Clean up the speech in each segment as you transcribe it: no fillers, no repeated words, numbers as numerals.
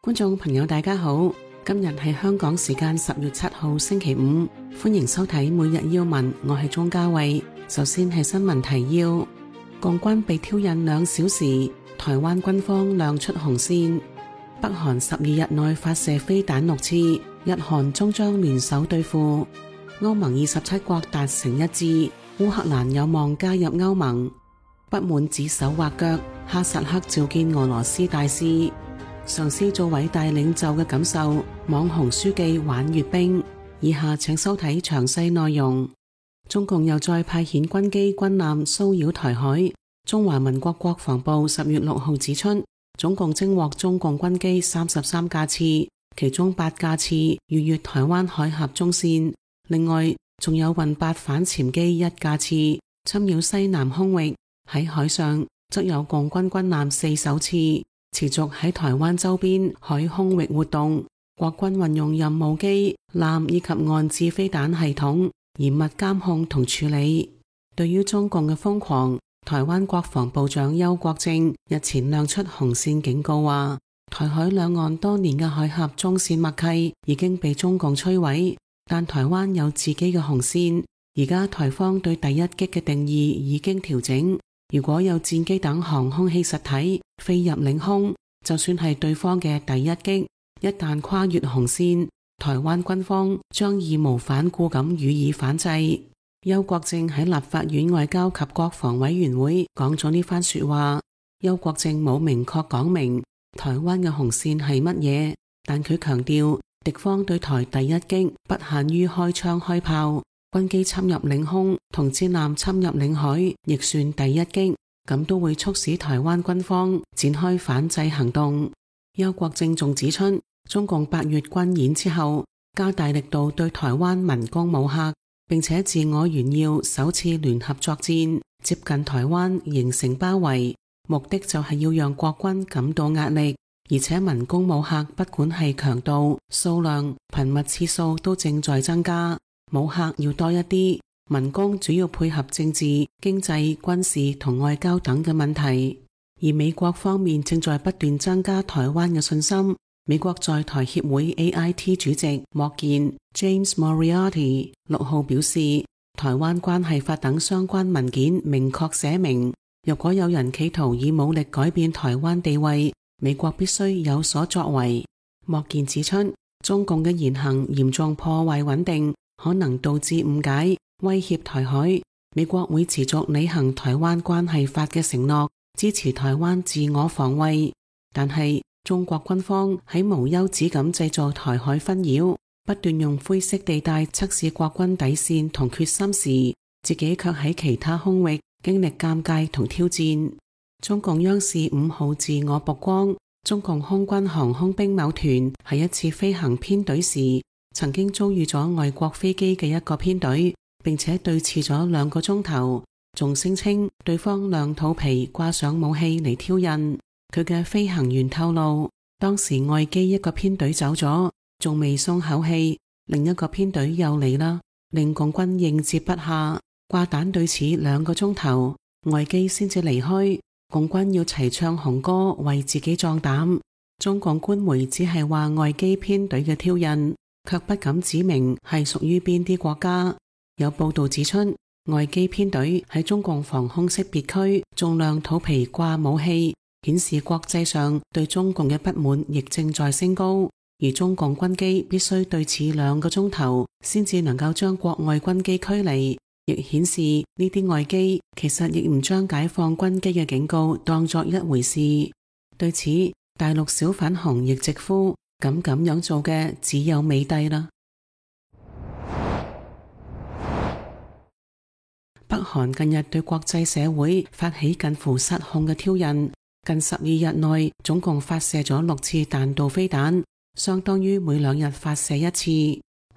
觀眾朋友大家好，今日係香港時間10月7號星期五，歡迎收睇每日要聞，我係鍾嘉慧。首先係新聞提要：共軍被挑釁2小時，台灣軍方亮出紅線；北韓12日內發射飛彈6次，日韓終將聯手對付；歐盟27國達成一致，烏克蘭有望加入歐盟；不滿指手畫腳，哈薩克召見俄羅斯大使。嘗試做偉大領袖嘅感受，網紅書記玩閱兵。以下請收睇詳細內容。中共又再派遣軍機軍艦騷擾台海。中華民國國防部10月6號指出，總共偵獲中共軍機33架次，其中8架次逾越台灣海峽中線，另外仲有運8反潛機1架次侵擾西南空域。喺海上則有共軍軍艦4艘次持續喺台灣周邊海空域活動，國軍運用任務機、艦以及岸置飛彈系統嚴密監控同處理。對於中共嘅瘋狂，台灣國防部長邱國正日前亮出紅線警告，話台海兩岸多年嘅海峽中線默契已經被中共摧毀，但台灣有自己嘅紅線。而家台方對第一擊嘅定義已經調整，如果有戰機等航空器實體飛入領空，就算係對方嘅第一擊，一旦跨越紅線，台灣軍方將義無反顧咁予以反制。邱國正喺立法院外交及國防委員會講咗呢番說話。邱國正冇明確講明台灣嘅紅線係乜嘢，但佢強調敵方對台第一擊不限於開槍開炮，軍機侵入領空同戰艦侵入領海亦算第一擊，咁都會促使台灣軍方展開反制行動。邱國正仲指出，中共8月軍演之後加大力度對台灣文攻武嚇，並且自我炫耀首次聯合作戰接近台灣形成包圍，目的就係要讓國軍感到壓力。而且文攻武嚇不管係強度、數量、頻密次數都正在增加，武嚇要多一啲，文攻主要配合政治、經濟、軍事同外交等嘅問題。而美國方面正在不斷增加台灣嘅信心。美國在台協會 AIT 主席莫健 James Moriarty 6號表示，台灣關係法等相關文件明確寫明，如果有人企圖以武力改變台灣地位，美國必須有所作為。莫健指出，中共嘅言行嚴重破壞穩定，可能導致誤解，威脅台海。美國會持續履行台灣關係法嘅承諾，支持台灣自我防衛。但係中國軍方喺無休止咁製造台海紛擾，不斷用灰色地帶測試國軍底線同決心時，自己卻喺其他空域經歷尷尬同挑戰。中共央視5號自我曝光，中共空軍航空兵某團喺一次飛行編隊時，曾經遭遇咗外國飛機嘅一個編隊，並且對峙咗2個鐘頭，仲聲稱對方亮肚皮掛上武器嚟挑釁。佢嘅飛行員透露，當時外機一個編隊走咗，仲未鬆口氣，另一個編隊又嚟啦，令共軍應接不暇，掛彈對峙2個鐘頭，外機先至離開，共軍要齊唱紅歌為自己壯膽。中共官媒只係話外機編隊嘅挑釁，卻不敢指明係屬於邊啲國家。有報道指出，外機編隊喺中共防空識別區仲亮肚皮掛武器，顯示國際上對中共嘅不滿亦正在升高，而中共軍機必須對峙2個鐘頭先至能夠將國外軍機驅離，亦顯示呢啲外機其實亦唔將解放軍機嘅警告當作一回事。對此，大陸小粉紅亦直呼咁樣做嘅只有美帝啦。北韓近日對國際社會發起近乎失控嘅挑釁，近12日內總共發射咗6次彈道飛彈，相當於每2日發射1次。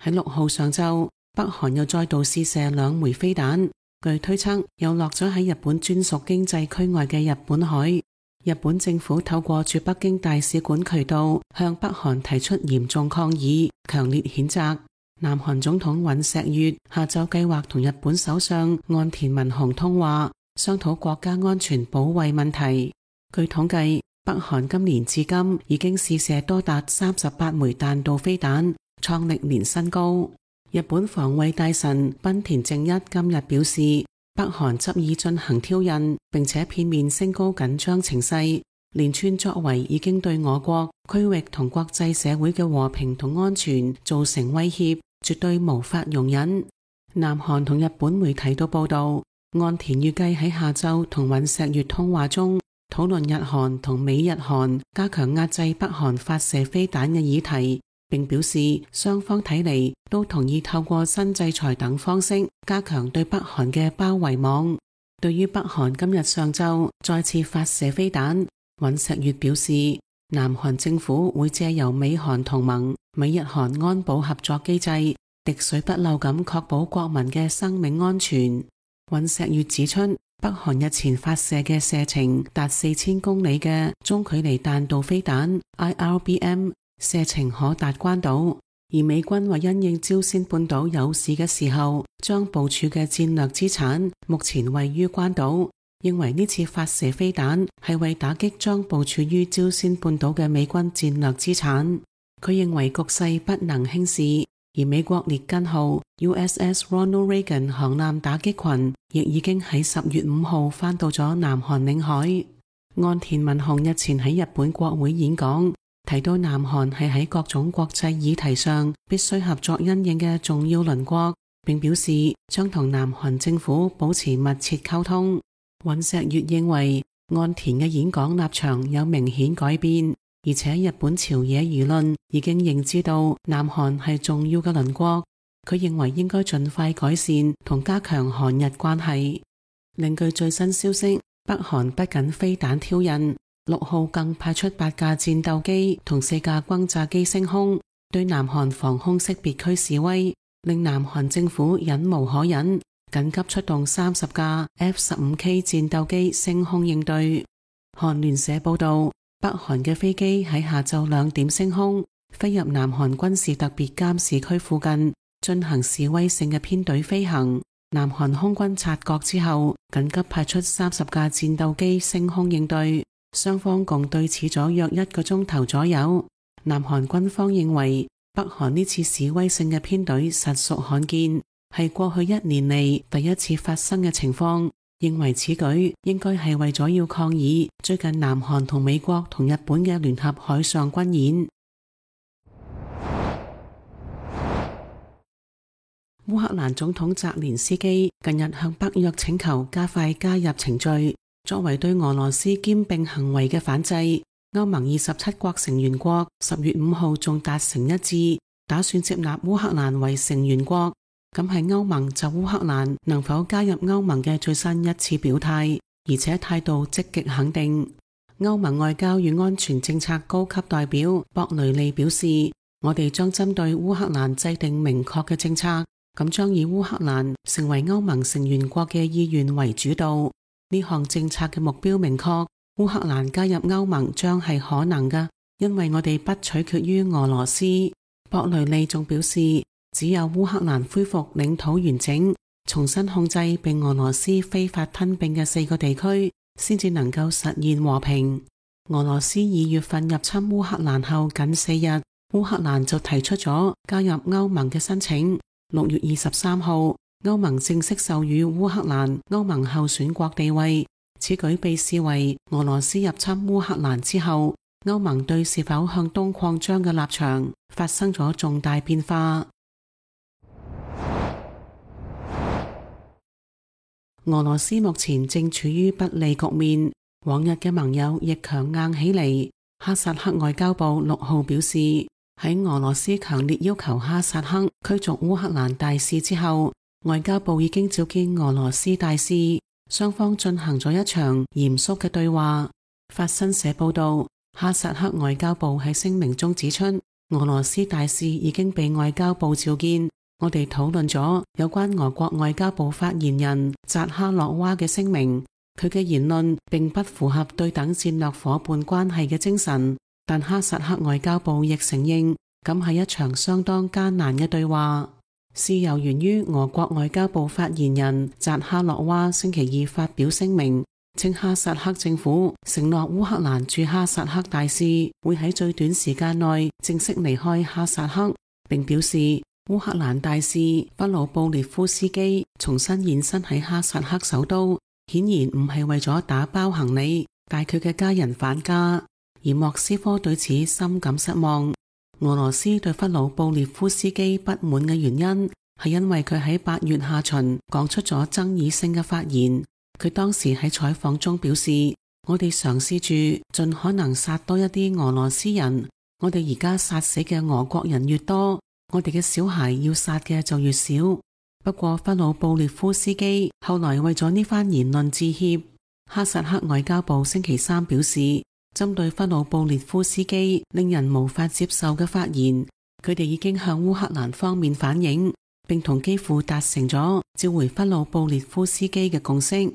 喺6號上晝，北韓又再度試射2枚飛彈，據推測又落咗喺日本專屬經濟區外嘅日本海。日本政府透過駐北京大使館渠道向北韓提出嚴重抗議，強烈譴責。南韓總統尹錫悅下晝計劃同日本首相岸田文雄通話，商討國家安全保衛問題。據統計，北韓今年至今已經試射多達38枚彈道飛彈，創歷年新高。日本防衛大臣濱田正一今日表示，北韓執意進行挑釁，並且片面升高緊張情勢，連串作為已經對我國、區域同國際社會嘅和平同安全造成威脅，絕對無法容忍。南韓同日本媒體都報道，岸田預計喺下晝同尹錫悅通話中討論日韓同美日韓加強壓制北韓發射飛彈嘅議題，並表示雙方睇嚟都同意透過新制裁等方式加強對北韓嘅包圍網。對於北韓今日上晝再次發射飛彈，尹錫悅表示，南韓政府會借由美韓同盟、美日韓安保合作機制，滴水不漏咁確保國民嘅生命安全。尹錫悅指出，北韓日前發射嘅射程達4000公里嘅中距離彈道飛彈 IRBM， 射程可達關島，而美軍為因應朝鮮半島有事嘅時候，將部署嘅戰略資產目前位於關島，認為呢次發射飛彈係為打擊將部署於朝鮮半島嘅美軍戰略資產。佢認為局勢不能輕視，而美國列根號 USS Ronald Reagan 航艦打擊群亦已經喺10月5號返到咗南韓領海。岸田文雄日前喺日本國會演講，提到南韓係喺各種國際議題上必須合作因應嘅重要鄰國，並表示將同南韓政府保持密切溝通。尹錫悅認為岸田嘅演講立場有明顯改變，而且日本朝野輿論已經認知到南韓係重要嘅鄰國，佢認為應該盡快改善同加強韓日關係。另據最新消息，北韓不僅飛彈挑釁，6號更派出8架戰鬥機同4架轟炸機升空，對南韓防空識別區示威，令南韓政府忍無可忍，緊急出動30架 F-15K 戰鬥機升空應對。韓聯社報道，北韓嘅飛機喺下晝2點升空，飛入南韓軍事特別監視區附近，進行示威性嘅編隊飛行。南韓空軍察覺之後，緊急派出30架戰鬥機升空應對，雙方共對峙咗約1個鐘頭左右。南韓軍方認為，北韓呢次示威性嘅編隊實屬罕見，係過去1年嚟第一次發生嘅情況，認為此舉應該係為咗要抗議最近南韓同美國同日本嘅聯合海上軍演。烏克蘭總統澤連斯基近日向北約請求加快加入程序，作為對俄羅斯兼併行為嘅反制。歐盟27國成員國10月5號仲達成一致，打算接納烏克蘭為成員國。咁係歐盟就烏克蘭能否加入歐盟嘅最新一次表態，而且態度積極肯定。歐盟外交與安全政策高級代表博雷利表示，我哋將針對烏克蘭制定明確嘅政策，咁將以烏克蘭成為歐盟成員國嘅意願為主導。呢項政策嘅目標明確，烏克蘭加入歐盟將係可能嘅，因為我哋不取決於俄羅斯。博雷利仲表示，只有烏克蘭恢復領土完整，重新控制被俄羅斯非法吞併嘅4個地區，先至能夠實現和平。俄羅斯2月份入侵烏克蘭後僅4日，烏克蘭就提出咗加入歐盟嘅申請。6月23號，歐盟正式授予烏克蘭歐盟候選國地位。此舉被視為俄羅斯入侵烏克蘭之後，歐盟對是否向東擴張嘅立場發生咗重大變化。俄羅斯目前正處於不利局面，往日嘅盟友亦強硬起嚟。哈薩克外交部6號表示，喺俄羅斯強烈要求哈薩克驅逐烏克蘭大使之後，外交部已經召見俄羅斯大使，雙方進行咗一場嚴肅嘅對話。法新社報道，哈薩克外交部喺聲明中指出，俄羅斯大使已經被外交部召見，我哋討論咗有關俄國外交部發言人扎哈洛娃嘅聲明，佢嘅言論並不符合對等戰略夥伴關係嘅精神。但哈薩克外交部亦承認，咁係一場相當艱難嘅對話。事由源於俄國外交部發言人扎哈洛娃星期二發表聲明，稱哈薩克政府承諾烏克蘭駐哈薩克大使會喺最短時間內正式離開哈薩克，並表示烏克蘭大使弗魯布列夫斯基重新現身喺哈薩克首都，顯然唔係為咗打包行李帶佢嘅家人返家，而莫斯科對此深感失望。俄羅斯對弗魯布列夫斯基不滿嘅原因係因為佢喺8月下旬講出咗爭議性嘅發言。佢當時喺採訪中表示，我哋嘗試住盡可能殺多一啲俄羅斯人，我哋而家殺死嘅俄國人越多，我哋嘅小孩要殺嘅就越少。不過弗魯布列夫斯基後來為咗呢番言論致歉。哈薩克外交部星期三表示，針對弗魯布列夫斯基令人無法接受嘅發言，佢哋已經向烏克蘭方面反映，並同基輔達成咗召回弗魯布列夫斯基嘅共識。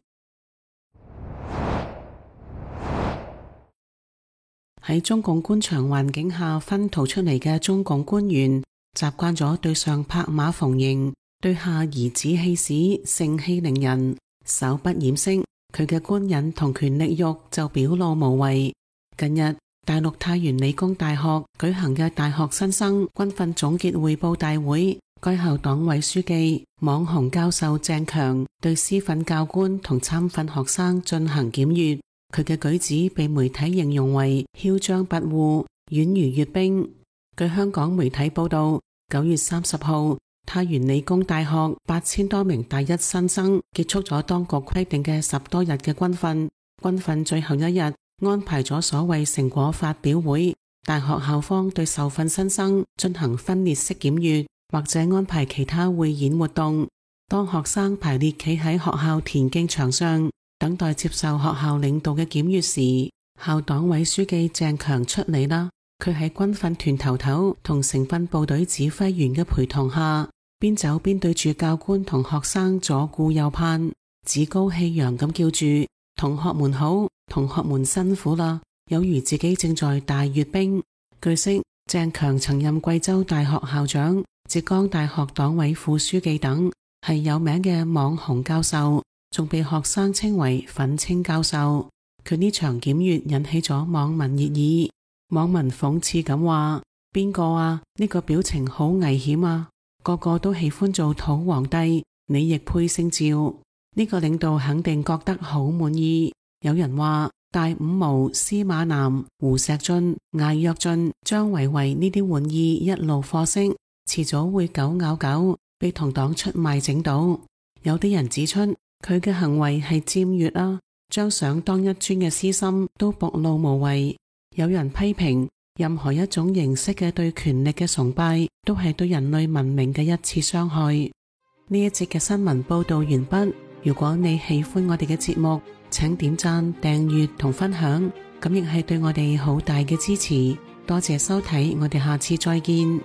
喺中共官場環境下熏陶出嚟嘅中共官員，習慣咗對上拍馬逢迎，對下頤指氣使，盛氣凌人，手不掩飾，佢嘅官癮同權力慾就表露無遺。近日，大陸太原理工大學舉行嘅大學新生軍訓總結匯報大會，該校黨委書記、網紅教授鄭強對師訓教官同參訓學生進行檢閱。佢嘅舉止被媒體形容為囂張跋扈、宛如閱兵。據香港媒體報道，9月30號，太原理工大學8000多名大一新生結束咗當局規定嘅10多日嘅軍訓。軍訓最後一日，安排咗所謂成果發表會，大學校方對受訓新生進行分列式檢閱，或者安排其他匯演活動。當學生排列企喺學校田徑場上，等待接受學校領導嘅檢閱時，校黨委書記鄭強出嚟啦。佢喺軍訓團頭頭同成訓部隊指揮員嘅陪同下，邊走邊對住教官同學生左顧右盼，趾高氣揚咁叫住：同學們好，同學們辛苦啦，有如自己正在大閱兵。據悉，鄭強曾任貴州大學校長、浙江大學黨委副書記等，係有名嘅網紅教授，仲被學生稱為粉青教授。佢呢場檢閱引起咗網民熱議，網民諷刺咁話：邊個啊？呢個表情好危險啊！個個都喜歡做土皇帝，你亦配姓趙？呢個領導肯定覺得好滿意。有人話大五毛、司馬南、胡錫進、艾躍進、張維為呢啲玩意一路貨色，遲早會狗咬狗，被同黨出賣整到。有啲人指出，佢嘅行為係僭越啊，將想當一尊嘅私心都暴露無遺。有人批評，任何一種形式嘅對權力嘅崇拜，都係對人類文明嘅一次傷害。呢一節嘅新聞報道完畢。如果你喜歡我哋嘅節目，請點讚、訂閱同分享，咁亦係對我哋好大嘅支持。多謝收睇，我哋下次再見。